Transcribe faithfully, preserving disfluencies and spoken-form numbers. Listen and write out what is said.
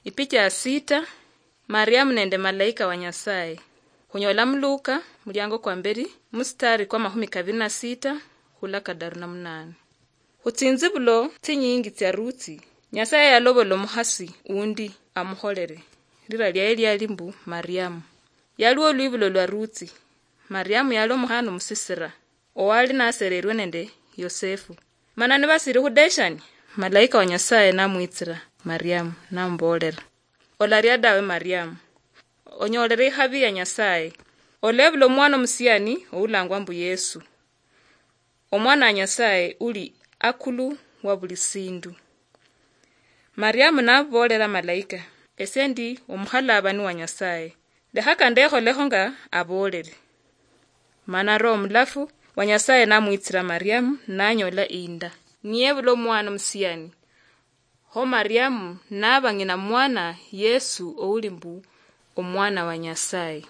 Ipicha ya sita. Mariamu nende malaika wa Nyasaye. Khunyola mu Luka, muliango kwa mberi, mustari kwa mahumi kabiri na sita khula kadaru na munane. Khu tsinzibulo tsinyingi tsia Rutsi, Nyasaye yalobola omukhasi undi amukholere. Lira liaye liali mbu Mariamu. Yaliwo olwibulo lwa Rutsi. Mariamu yali omukhana omusisira, owali nasererwe nende Yosefu. Mana nibasiri khudeshani, malaika wa Nyasaye namwitsira Mariamu, namubolera, "Olaria dawe, Mariamu. Onyolere ikhabi ya Nyasaye. Olebula omwana omusiani oulangwa mbu Yesu. Omwana wa Nyasaye uli akulu wa buli sindu." Mariamu nabolera malaika, "Esie ndi omukhalabani wa Nyasaye. Lekhaka ndekholekho nga abolere." Mana Roho Mulafu wa Nyasaye namwitsira Mariamu, nanyola inda, niyebula omwana omusiani. Kho Mariamu naba ng'ina mwana Yesu ouli mbu omwana wa Nyasaye.